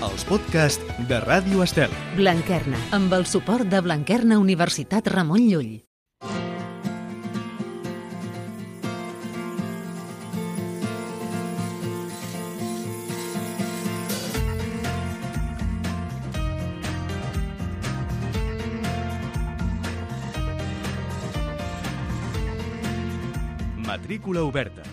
els podcasts de Ràdio Estel. Blanquerna, amb el suport de Blanquerna Universitat Ramon Llull. Matrícula oberta.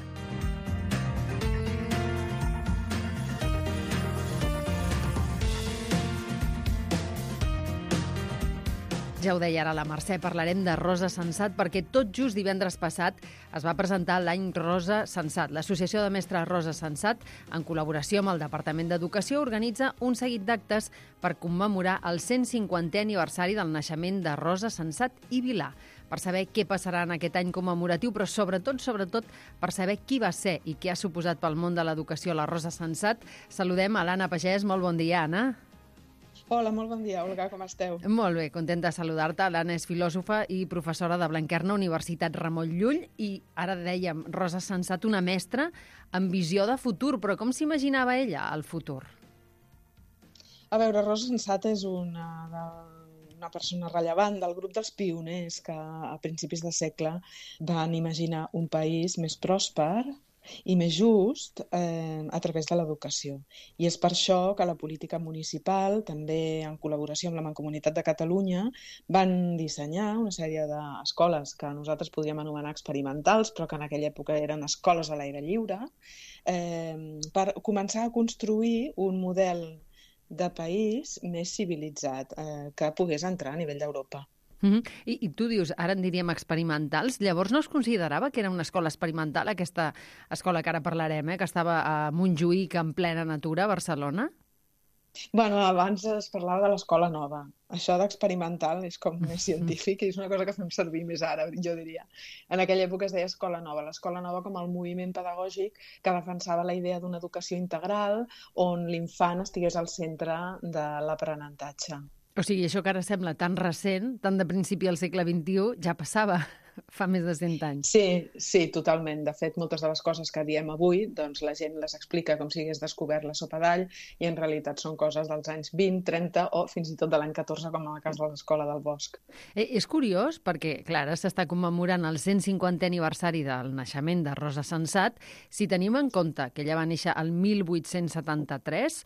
Ja ho deia ara la Mercè, parlarem de Rosa Sensat perquè tot just divendres passat es va presentar l'any Rosa Sensat. L'Associació de Mestres Rosa Sensat, en col·laboració amb el Departament d'Educació, organitza un seguit d'actes per commemorar el 150è aniversari del naixement de Rosa Sensat i Vilà. Per saber què passarà en aquest any commemoratiu, però sobretot, per saber qui va ser i què ha suposat pel món de l'educació la Rosa Sensat, saludem a l'Anna Pagès. Molt bon dia, Anna. Hola, molt bon dia, Olga, com esteu? Molt bé, contenta de saludar-te. L'Anna és filòsofa i professora de Blanquerna Universitat Ramon Llull i ara dèiem, Rosa Sensat, una mestra amb visió de futur, però com s'imaginava ella el futur? A veure, Rosa Sensat és una persona rellevant del grup dels pioners que a principis de segle van imaginar un país més pròsper i més just a través de l'educació. I és per això que la política municipal, també en col·laboració amb la Mancomunitat de Catalunya, van dissenyar una sèrie d'escoles que nosaltres podríem anomenar experimentals, però que en aquella època eren escoles a l'aire lliure, per començar a construir un model de país més civilitzat que pogués entrar a nivell d'Europa. I tu dius, ara en diríem experimentals, llavors no es considerava que era una escola experimental, aquesta escola que ara parlarem, que estava a Montjuïc en plena natura, a Barcelona? Bueno, abans es parlava de l'escola nova. Això d'experimental és com més científic i és una cosa que fem servir més ara, jo diria. En aquella època es deia escola nova. L'escola nova com el moviment pedagògic que defensava la idea d'una educació integral on l'infant estigués al centre de l'aprenentatge. O sigui, això que ara sembla tan recent, tan de principi del segle XXI, ja passava fa més de 100 anys. Sí, totalment. De fet, moltes de les coses que diem avui, doncs la gent les explica com si hagués descobert la sopa d'all i en realitat són coses dels anys 20, 30 o fins i tot de l'any 14, com en el cas de l'Escola del Bosc. És curiós perquè, clar, ara s'està commemorant el 150è aniversari del naixement de Rosa Sensat. Si tenim en compte que ella va néixer el 1873,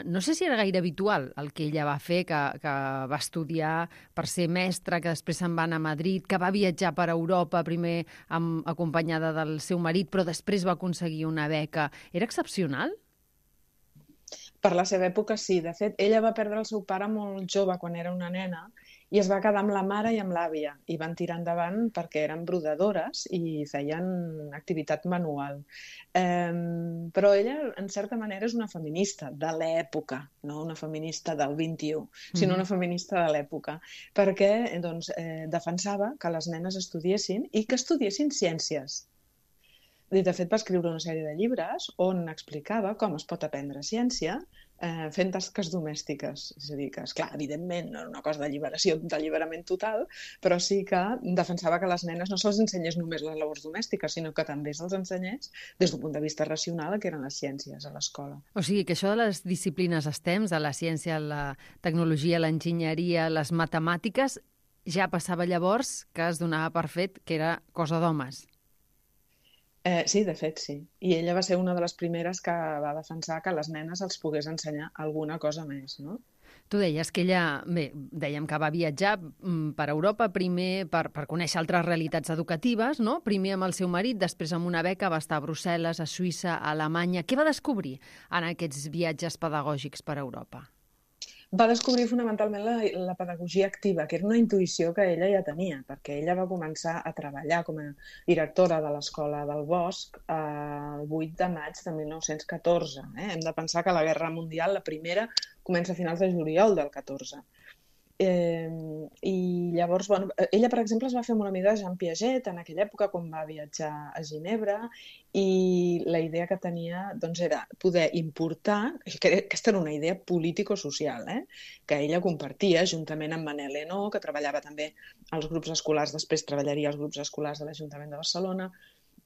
no sé si era gaire habitual el que ella va fer, que va estudiar per ser mestra, que després se'n va anar a Madrid, que va viatjar per Europa, primer acompanyada del seu marit, però després va aconseguir una beca. Era excepcional? Per la seva època, sí. De fet, ella va perdre el seu pare molt jove, quan era una nena, i es va quedar amb la mare i amb l'àvia. I van tirar endavant perquè eren brodadores i feien activitat manual. Però ella, en certa manera, és una feminista de l'època, no una feminista del XXI, sinó una feminista de l'època, perquè defensava que les nenes estudiessin i que estudiessin ciències. De fet, va escriure una sèrie de llibres on explicava com es pot aprendre ciència fent tasques domèstiques. És a dir, que, esclar, evidentment, no era una cosa d'alliberament total, però sí que defensava que les nenes no se'ls ensenyés només les labors domèstiques, sinó que també se'ls ensenyés des d'un punt de vista racional que eren les ciències a l'escola. O sigui, que això de les disciplines STEM, de la ciència, la tecnologia, l'enginyeria, les matemàtiques, ja passava llavors que es donava per fet que era cosa d'homes. Sí, de fet, sí. I ella va ser una de les primeres que va defensar que les nenes els pogués ensenyar alguna cosa més, no? Tu deies que ella, dèiem que va viatjar per Europa, primer per conèixer altres realitats educatives, no? Primer amb el seu marit, després amb una beca, va estar a Brussel·les, a Suïssa, a Alemanya. Què va descobrir en aquests viatges pedagògics per Europa? Va descobrir fonamentalment la pedagogia activa, que era una intuïció que ella ja tenia, perquè ella va començar a treballar com a directora de l'Escola del Bosc el 8 de maig de 1914. Hem de pensar que la Guerra Mundial, la primera, comença a finals de juliol del 14. I llavors, ella, per exemple, es va fer molt amiga de Jean Piaget en aquella època quan va viatjar a Ginebra i la idea que tenia era poder importar, que aquesta era una idea político-social, que ella compartia juntament amb Manel Henó, que treballava també als grups escolars, després treballaria als grups escolars de l'Ajuntament de Barcelona,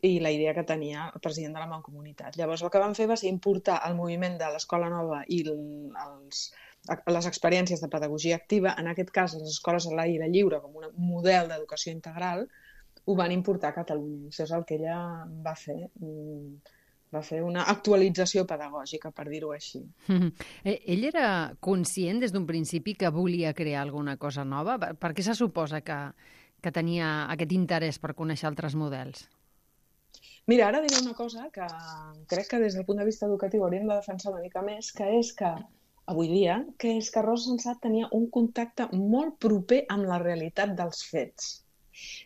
i la idea que tenia el president de la Mancomunitat. Llavors el que van fer va ser importar el moviment de l'Escola Nova i les experiències de pedagogia activa, en aquest cas les escoles a l'aire lliure com un model d'educació integral, ho van importar a Catalunya. Això és el que ella va fer. Va fer una actualització pedagògica, per dir-ho així. Ell era conscient des d'un principi que volia crear alguna cosa nova? Per què se suposa que tenia aquest interès per conèixer altres models? Mira, ara diré una cosa que crec que des del punt de vista educatiu hauríem de defensar una mica més, que és que, avui dia, Rosa Sensat tenia un contacte molt proper amb la realitat dels fets.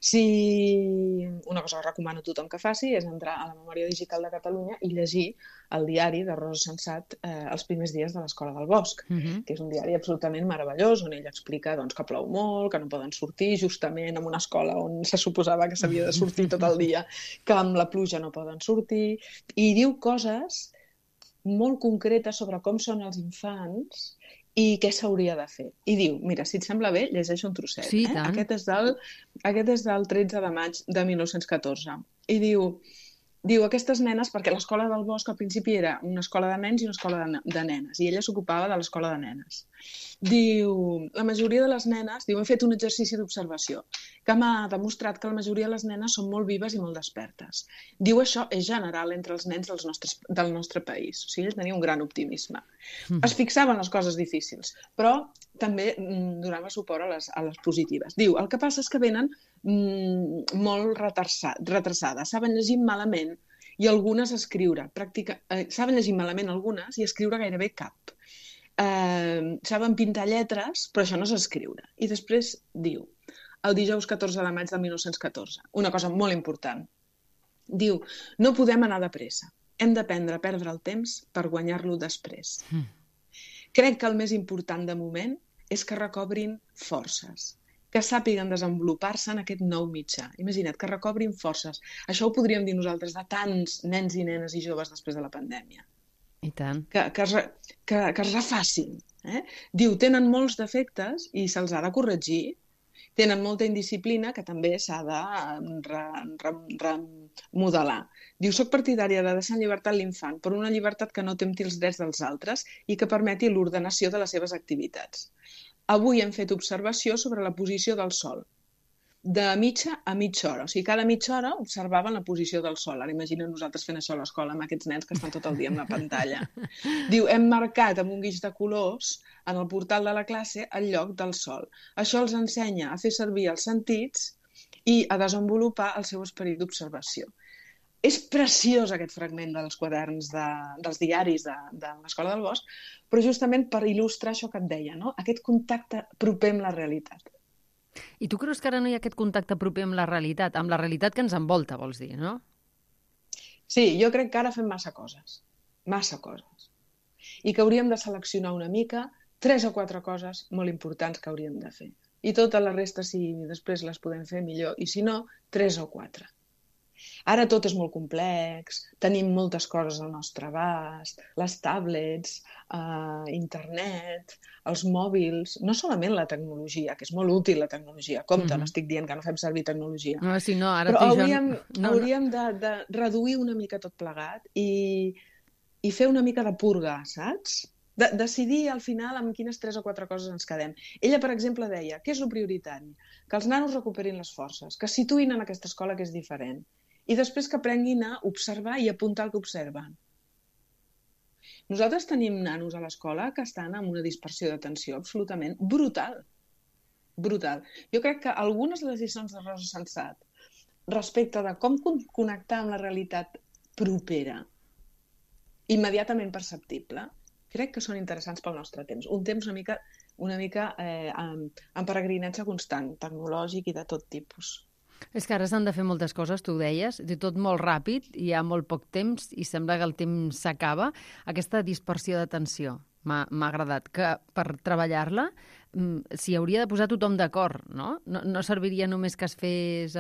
Si una cosa que recomano a tothom que faci és entrar a la Memòria Digital de Catalunya i llegir el diari de Rosa Sensat els primers dies de l'Escola del Bosc, que és un diari absolutament meravellós, on ella explica que plou molt, que no poden sortir justament en una escola on se suposava que s'havia de sortir tot el dia, que amb la pluja no poden sortir, i diu coses molt concretes sobre com són els infants i què s'hauria de fer. I diu, mira, si et sembla bé, llegeixo un trosset. Sí, tant. Aquest és del 13 de maig de 1914. I diu aquestes nenes, perquè l'Escola del Bosc al principi era una escola de nens i una escola de nenes, i ella s'ocupava de l'escola de nenes. Diu, la majoria de les nenes, hem fet un exercici d'observació que m'ha demostrat que la majoria de les nenes són molt vives i molt despertes. Diu, això és general entre els nens del nostre país. O sigui, ell tenia un gran optimisme. Es fixava en les coses difícils, però també donava suport a les positives. Diu, el que passa és que venen molt retrasades, saben llegir malament i algunes escriure. Saben llegir malament algunes i escriure gairebé cap. Saben pintar lletres, però això no és escriure. I després diu, el dijous 14 de maig de 1914, una cosa molt important. Diu, no podem anar de pressa. Hem d'aprendre a perdre el temps per guanyar-lo després. Crec que el més important de moment és que recobrin forces, que sàpiguen desenvolupar-se en aquest nou mitjà. Imagina't, que recobrin forces. Això ho podríem dir nosaltres de tants nens i nenes i joves després de la pandèmia. I tant. Que es refacin. Diu, tenen molts defectes i se'ls ha de corregir. Tenen molta indisciplina que també s'ha de remodelar. Diu, soc partidària de deixar en llibertat l'infant, però una llibertat que no tempti els drets dels altres i que permeti l'ordenació de les seves activitats. Avui hem fet observació sobre la posició del sol, de mitja a mitja hora. O sigui, cada mitja hora observaven la posició del sol. Ara imagina't nosaltres fent això a l'escola amb aquests nens que estan tot el dia amb la pantalla. Diu, hem marcat amb un guix de colors en el portal de la classe el lloc del sol. Això els ensenya a fer servir els sentits i a desenvolupar el seu esperit d'observació. És preciós aquest fragment dels quaderns dels diaris de l'Escola del Bosc, però justament per il·lustrar això que et deia, no? Aquest contacte proper amb la realitat. I tu creus que ara no hi ha aquest contacte proper amb la realitat que ens envolta, vols dir, no? Sí, jo crec que ara fem massa coses. I que hauríem de seleccionar una mica 3 o 4 coses molt importants que hauríem de fer. I tota la resta, si després les podem fer, millor. I si no, 3 o 4. Ara tot és molt complex, tenim moltes coses al nostre abast, les tablets, internet, els mòbils, no solament la tecnologia, que és molt útil la tecnologia, compte, no estic dient que no fem servir tecnologia, no, si no, ara però hauríem de reduir una mica tot plegat i fer una mica de purga, saps? Decidir al final amb quines 3 o 4 coses ens quedem. Ella, per exemple, deia, què és el prioritari? Que els nanos recuperin les forces, que es situïn en aquesta escola que és diferent, i després que aprenguin a observar i apuntar el que observen. Nosaltres tenim nanos a l'escola que estan amb una dispersió d'atenció absolutament brutal. Brutal. Jo crec que algunes de les lliçons de Rosa Sensat respecte de com connectar amb la realitat propera, immediatament perceptible, crec que són interessants pel nostre temps. Un temps una mica en peregrinatge constant, tecnològic i de tot tipus. És que ara s'han de fer moltes coses, tu ho deies, de tot molt ràpid, hi ha molt poc temps i sembla que el temps s'acaba. Aquesta dispersió d'atenció m'ha agradat, que per treballar-la s'hi hauria de posar tothom d'acord, no? No serviria només que es fes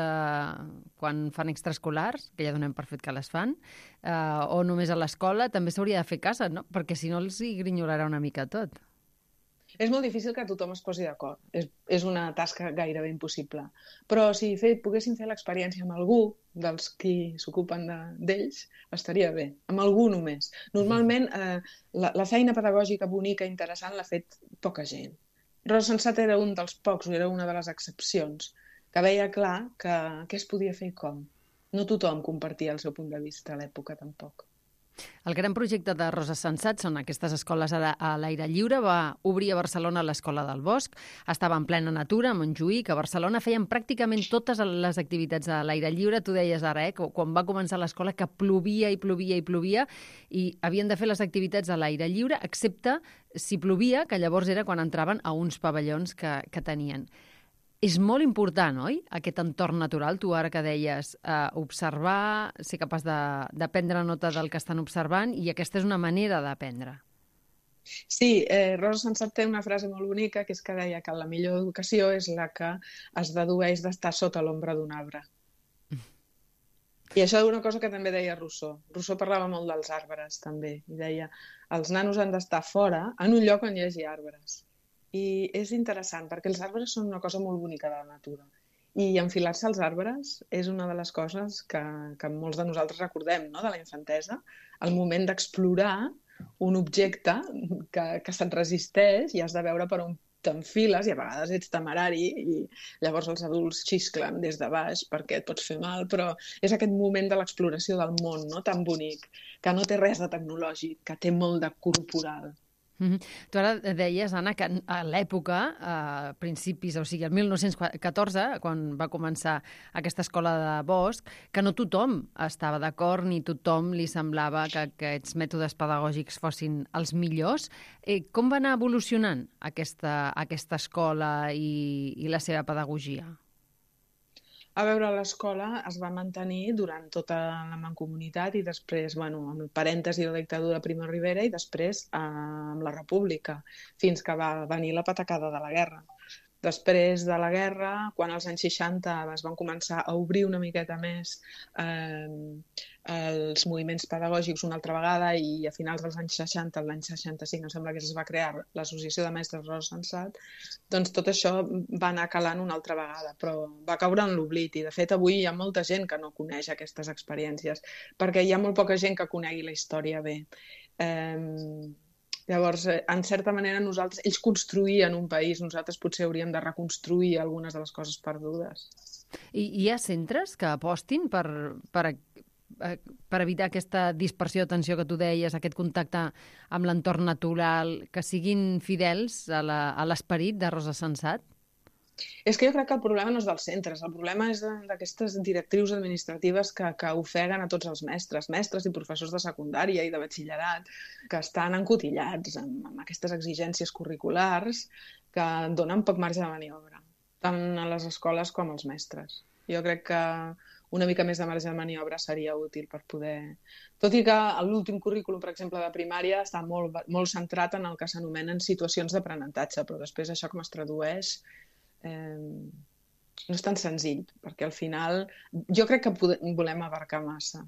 quan fan extraescolars, que ja donem per fet que les fan, o només a l'escola, també s'hauria de fer a casa, no? Perquè si no els hi grinyolarà una mica tot. És molt difícil que tothom es posi d'acord. És una tasca gairebé impossible. Però si poguéssim fer l'experiència amb algú dels qui s'ocupen d'ells, estaria bé. Amb algú només. Normalment, la feina pedagògica bonica i interessant l'ha fet poca gent. Rosa Sensat era un dels pocs, o era una de les excepcions, que veia clar què es podia fer i com. No tothom compartia el seu punt de vista a l'època, tampoc. El gran projecte de Rosa Sensat són aquestes escoles a l'aire lliure. Va obrir a Barcelona l'Escola del Bosc. Estava en plena natura, a Montjuïc. A Barcelona feien pràcticament totes les activitats a l'aire lliure. Tu deies ara, quan va començar l'escola, que plovia i plovia i plovia i havien de fer les activitats a l'aire lliure, excepte si plovia, que llavors era quan entraven a uns pavellons que tenien. És molt important, oi?, aquest entorn natural. Tu ara que deies observar, ser capaç de prendre nota del que estan observant, i aquesta és una manera d'aprendre. Sí, Rosa Sensat té una frase molt bonica, que és que deia que la millor educació és la que es dedueix d'estar sota l'ombra d'un arbre. I això és una cosa que també deia Rousseau. Rousseau parlava molt dels arbres, també, i deia els nanos han d'estar fora, en un lloc on hi hagi arbres. I és interessant, perquè els arbres són una cosa molt bonica de la natura. I enfilar-se als arbres és una de les coses que molts de nosaltres recordem, no?, de la infantesa, el moment d'explorar un objecte que se't resisteix i has de veure per on t'enfiles, i a vegades ets temerari i llavors els adults xisclen des de baix perquè et pots fer mal, però és aquest moment de l'exploració del món, no?, tan bonic, que no té res de tecnològic, que té molt de corporal. Tu ara deies, Anna, que a l'època, a principis, o sigui, el 1914, quan va començar aquesta escola de Bosc, que no tothom estava d'acord ni tothom li semblava que aquests mètodes pedagògics fossin els millors. Com va anar evolucionant aquesta escola i la seva pedagogia? A veure, l'escola es va mantenir durant tota la mancomunitat i després, amb el parèntesi de la dictadura de Primo de Rivera i després amb la República, fins que va venir la patacada de la guerra. Després de la guerra, quan als anys 60 es van començar a obrir una miqueta més els moviments pedagògics una altra vegada, i a finals dels anys 60, l'any 65, em sembla que es va crear l'Associació de Mestres Rosa Sensat, doncs tot això va anar calant una altra vegada, però va caure en l'oblit, i de fet avui hi ha molta gent que no coneix aquestes experiències, perquè hi ha molt poca gent que conegui la història bé. Llavors, en certa manera, ells construïen un país, nosaltres potser hauríem de reconstruir algunes de les coses perdudes. I hi ha centres que apostin per evitar aquesta dispersió d'atenció que tu deies, aquest contacte amb l'entorn natural, que siguin fidels a l'esperit de Rosa Sensat? És que jo crec que el problema no és dels centres, el problema és d'aquestes directrius administratives que ofeguen a tots els mestres i professors de secundària i de batxillerat, que estan encotillats amb aquestes exigències curriculars que donen poc marge de maniobra, tant a les escoles com als mestres. Jo crec que una mica més de marge de maniobra seria útil per poder... Tot i que l'últim currículum, per exemple, de primària està molt centrat en el que s'anomenen situacions d'aprenentatge, però després això com es tradueix no és tan senzill, perquè al final jo crec que volem abarcar massa.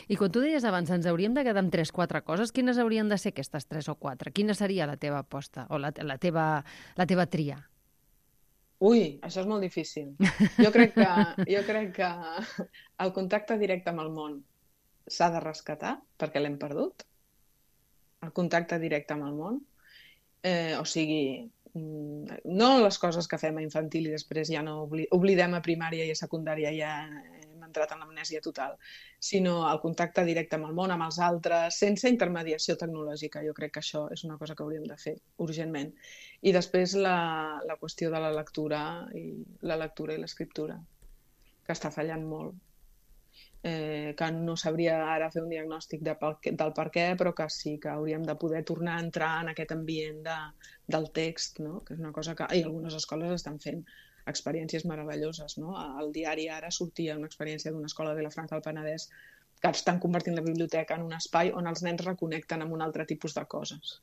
I quan tu deies abans, ens hauríem de quedar amb 3-4 coses, quines haurien de ser aquestes 3 o 4? Quina seria la teva aposta o la teva tria? Ui, això és molt difícil. Jo crec que el contacte directe amb el món s'ha de rescatar, perquè l'hem perdut. El contacte directe amb el món. O sigui, no les coses que fem a infantil i després ja no oblidem a primària i a secundària, ja hem entrat en l'amnèsia total, sinó el contacte directe amb el món, amb els altres, sense intermediació tecnològica. Jo crec que això és una cosa que hauríem de fer urgentment. I després la qüestió de la lectura i l'escriptura, que està fallant molt. Que no sabria ara fer un diagnòstic del per què, però que sí que hauríem de poder tornar a entrar en aquest ambient del text, no? Que és una cosa que... I algunes escoles estan fent experiències meravelloses, no? Al diari ara sortia una experiència d'una escola de Vilafranca del Penedès que estan convertint la biblioteca en un espai on els nens reconnecten amb un altre tipus de coses.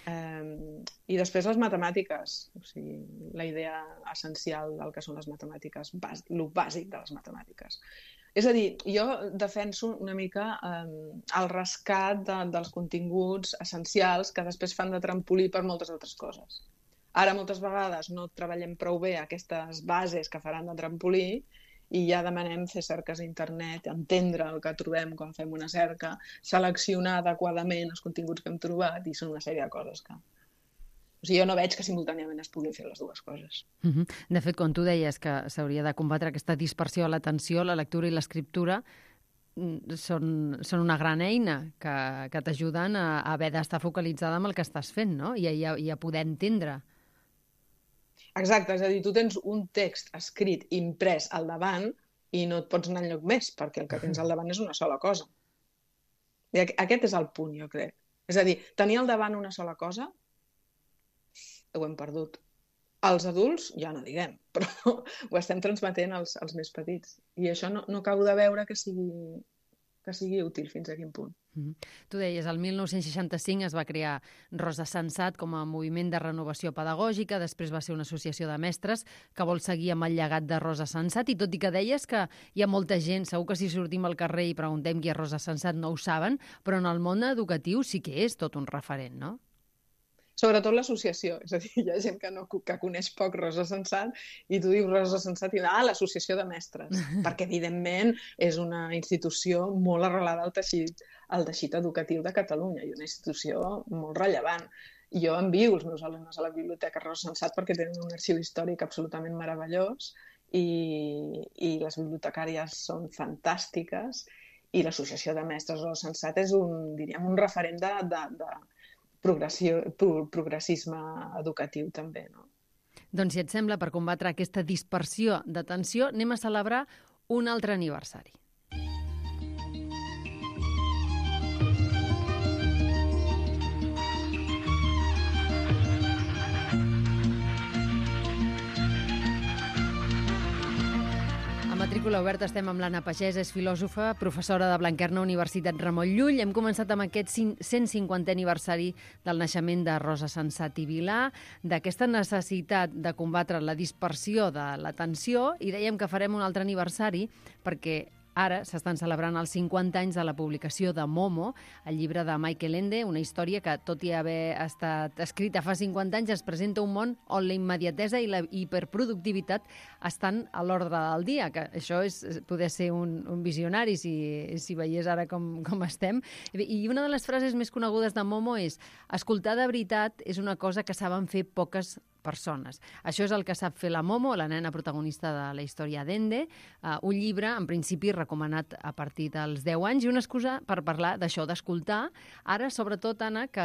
I després les matemàtiques, o sigui, la idea essencial del que són les matemàtiques, lo bàsic de les matemàtiques. És a dir, jo defenso una mica el rescat dels continguts essencials que després fan de trampolí per moltes altres coses. Ara moltes vegades no treballem prou bé aquestes bases que faran de trampolí i ja demanem fer cerques a internet, entendre el que trobem quan fem una cerca, seleccionar adequadament els continguts que hem trobat, i són una sèrie de coses que... O sigui, jo no veig que simultàniament es puguin fer les dues coses. De fet, quan tu deies que s'hauria de combatre aquesta dispersió a l'atenció, la lectura i l'escriptura són una gran eina que t'ajuden a haver d'estar focalitzada en el que estàs fent, no? I a poder entendre. Exacte, és a dir, tu tens un text escrit, imprès al davant i no et pots anar enlloc més, perquè el que tens al davant és una sola cosa. I aquest és el punt, jo crec. És a dir, tenir al davant una sola cosa ho hem perdut. Els adults, ja no diguem, però ho estem transmetent als més petits. I això no acabo de veure que sigui útil fins a quin punt. Tu deies, el 1965 es va crear Rosa Sensat com a moviment de renovació pedagògica, després va ser una associació de mestres que vol seguir amb el llegat de Rosa Sensat, i tot i que deies que hi ha molta gent, segur que si sortim al carrer i preguntem qui és Rosa Sensat no ho saben, però en el món educatiu sí que és tot un referent, no? Sobretot l'associació, és a dir, hi ha gent que coneix poc Rosa Sensat i tu dius Rosa Sensat i l'associació de mestres, perquè evidentment és una institució molt arrelada al teixit educatiu de Catalunya i una institució molt rellevant. Jo envio els meus alumnes a la Biblioteca Rosa Sensat perquè tenen un arxiu històric absolutament meravellós i les bibliotecàries són fantàstiques i l'associació de mestres Rosa Sensat és un referent de progressisme educatiu també, no? Doncs si et sembla, per combatre aquesta dispersió d'atenció, anem a celebrar un altre aniversari. Matrícula oberta, estem amb l'Anna Pagès, és filòsofa, professora de Blanquerna, Universitat Ramon Llull. Hem començat amb aquest 150è aniversari del naixement de Rosa Sensat i Vilà, d'aquesta necessitat de combatre la dispersió de l'atenció, i dèiem que farem un altre aniversari perquè ara s'estan celebrant els 50 anys de la publicació de Momo, el llibre de Michael Ende, una història que, tot i haver estat escrita fa 50 anys, es presenta un món on la immediatesa i la hiperproductivitat estan a l'ordre del dia, que això és poder ser un visionari si veiés ara com estem. I una de les frases més conegudes de Momo és: escoltar de veritat és una cosa que saben fer poques persones. Això és el que sap fer la Momo, la nena protagonista de la història d'Ende, un llibre, en principi, recomanat a partir dels 10 anys, i una excusa per parlar d'això, d'escoltar. Ara, sobretot, Anna, que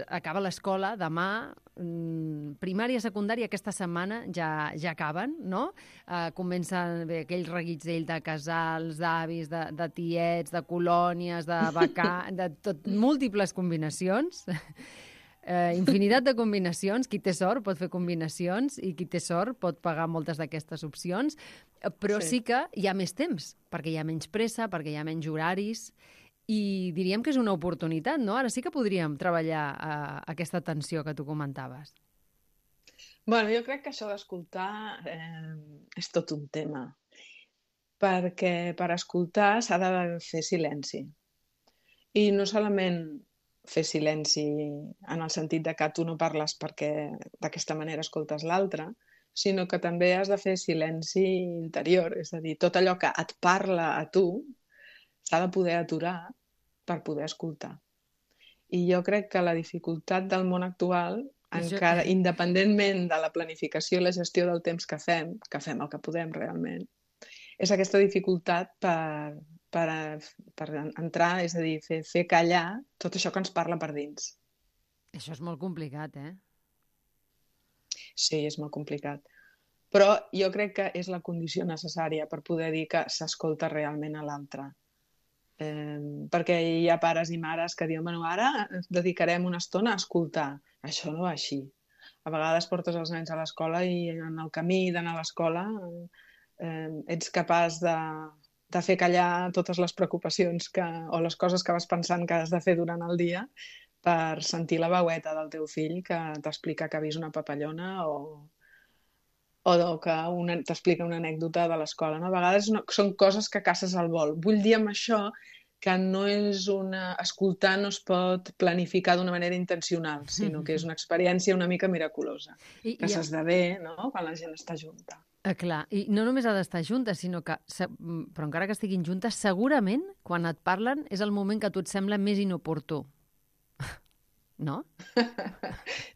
acaba l'escola, demà, primària, secundària, aquesta setmana ja acaben, no? Comencen aquells reguitzell de casals, d'avis, de tiets, de colònies, de de tot, múltiples combinacions. Infinitat de combinacions. Qui té sort pot fer combinacions i qui té sort pot pagar moltes d'aquestes opcions, però sí que hi ha més temps, perquè hi ha menys pressa, perquè hi ha menys horaris, i diríem que és una oportunitat, no? Ara sí que podríem treballar aquesta atenció que tu comentaves. Bueno, jo crec que això d'escoltar és tot un tema, perquè per escoltar s'ha de fer silenci. I no solament fer silenci en el sentit de que tu no parles perquè d'aquesta manera escoltes l'altre, sinó que també has de fer silenci interior, és a dir, tot allò que et parla a tu s'ha de poder aturar per poder escoltar. I jo crec que la dificultat del món actual, encara independentment de la planificació i la gestió del temps que fem el que podem realment, és aquesta dificultat per entrar, és a dir, fer callar tot això que ens parla per dins. Això és molt complicat, eh? Sí, és molt complicat. Però jo crec que és la condició necessària per poder dir que s'escolta realment a l'altre. Perquè hi ha pares i mares que diuen, bueno, ara dedicarem una estona a escoltar. Això no va així. A vegades portes els nens a l'escola i en el camí d'anar a l'escola ets capaç de fer callar totes les preocupacions o les coses que vas pensant que has de fer durant el dia per sentir la veueta del teu fill que t'explica que ha vist una papallona o que t'explica una anècdota de l'escola. No? A vegades són coses que caces al vol. Vull dir amb això que no és escoltar no es pot planificar d'una manera intencional, sinó que és una experiència una mica miraculosa, que s'esdevé, no?, quan la gent està junta. Clar, i no només ha d'estar juntes, sinó que, però encara que estiguin juntes, segurament, quan et parlen, és el moment que a tu et sembla més inoportú. No?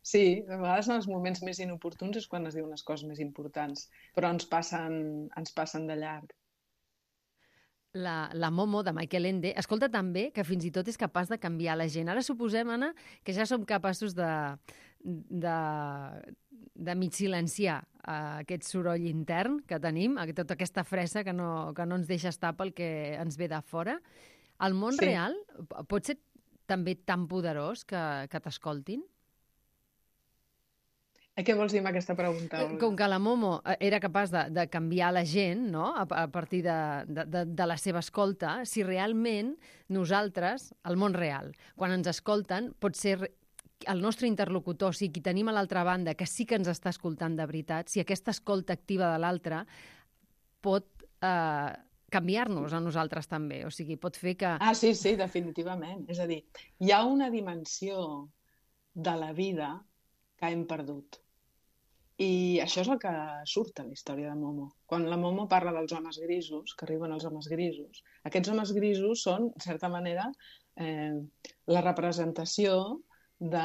Sí, a vegades en els moments més inoportuns és quan es diuen les coses més importants, però ens passen de llarg. La Momo, de Michael Ende, escolta també que fins i tot és capaç de canviar la gent. Ara suposem, Anna, que ja som capaços de mig silenciar aquest soroll intern que tenim, tota aquesta fressa que no ens deixa estar pel que ens ve de fora. El món real pot ser també tan poderós que t'escoltin? Què vols dir amb aquesta pregunta? Com que la Momo era capaç de canviar la gent, no?, a partir de la seva escolta, si realment nosaltres, el món real, quan ens escolten, pot ser el nostre interlocutor, o sigui, qui tenim a l'altra banda, que sí que ens està escoltant de veritat, si aquesta escolta activa de l'altre pot canviar-nos a nosaltres també, o sigui, pot fer que... Sí, definitivament. És a dir, hi ha una dimensió de la vida que hem perdut. I això és el que surt a la història de Momo. Quan la Momo parla dels homes grisos, que arriben els homes grisos, aquests homes grisos són, en certa manera, la representació de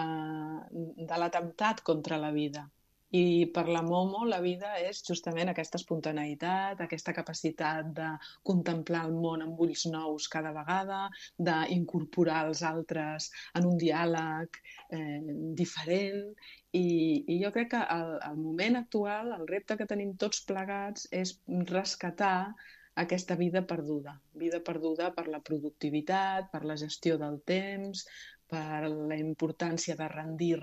l'atemptat contra la vida. I per la Momo la vida és justament aquesta espontaneïtat, aquesta capacitat de contemplar el món amb ulls nous cada vegada, d'incorporar els altres en un diàleg diferent. I jo crec que al moment actual, el repte que tenim tots plegats és rescatar aquesta vida perduda per la productivitat, per la gestió del temps, per la importància de rendir,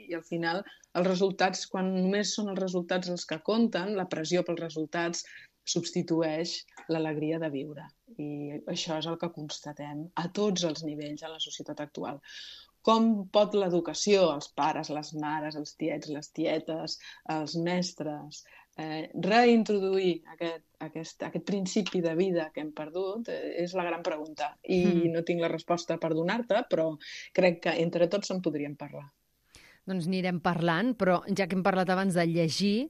i al final els resultats, quan només són els resultats els que compten, la pressió pels resultats substitueix l'alegria de viure. I això és el que constatem a tots els nivells en la societat actual. Com pot l'educació, els pares, les mares, els tiets, les tietes, els mestres, reintroduir aquest principi de vida que hem perdut? És la gran pregunta. I no tinc la resposta per donar-te, però crec que entre tots en podríem parlar. Doncs anirem parlant, però ja que hem parlat abans de llegir,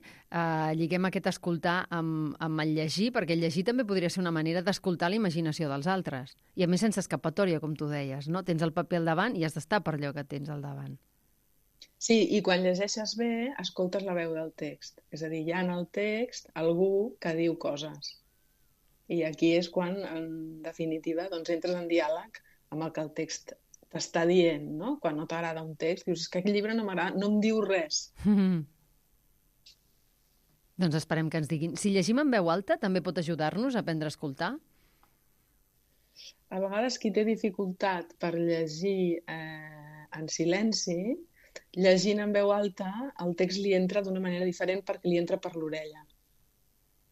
lliguem aquest escoltar amb el llegir, perquè el llegir també podria ser una manera d'escoltar la imaginació dels altres. I a més sense escapatòria, com tu deies, no? Tens el paper al davant i has d'estar per allò que tens al davant. Sí, i quan llegeixes bé, escoltes la veu del text. És a dir, hi ha en el text algú que diu coses. I aquí és quan, en definitiva, entres en diàleg amb el que el text t'està dient, no? Quan no t'agrada un text, dius, és que aquest llibre no m'agrada, no em diu res. Doncs esperem que ens diguin. Si llegim en veu alta, també pot ajudar-nos a aprendre a escoltar? A vegades qui té dificultat per llegir en silenci, llegint en veu alta, el text li entra d'una manera diferent perquè li entra per l'orella,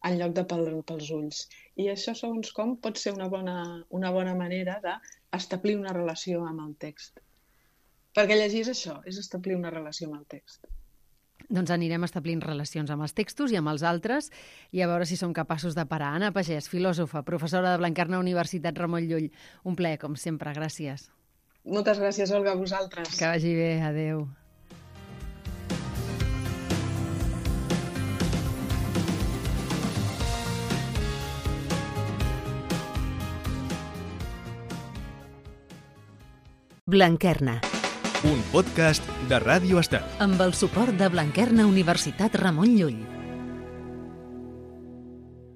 en lloc de pels ulls. I això, segons com, pot ser una bona manera d'establir una relació amb el text. Perquè llegir és això, és establir una relació amb el text. Doncs anirem establint relacions amb els textos i amb els altres i a veure si som capaços de parar. Anna Pagès, filòsofa, professora de Blanquerna, Universitat Ramon Llull. Un plaer, com sempre. Gràcies. Moltes gràcies, Olga, a vosaltres. Que vagi bé. Adéu. Blanquerna. Un podcast de Ràdio Estel. Amb el suport de Blanquerna, Universitat Ramon Llull.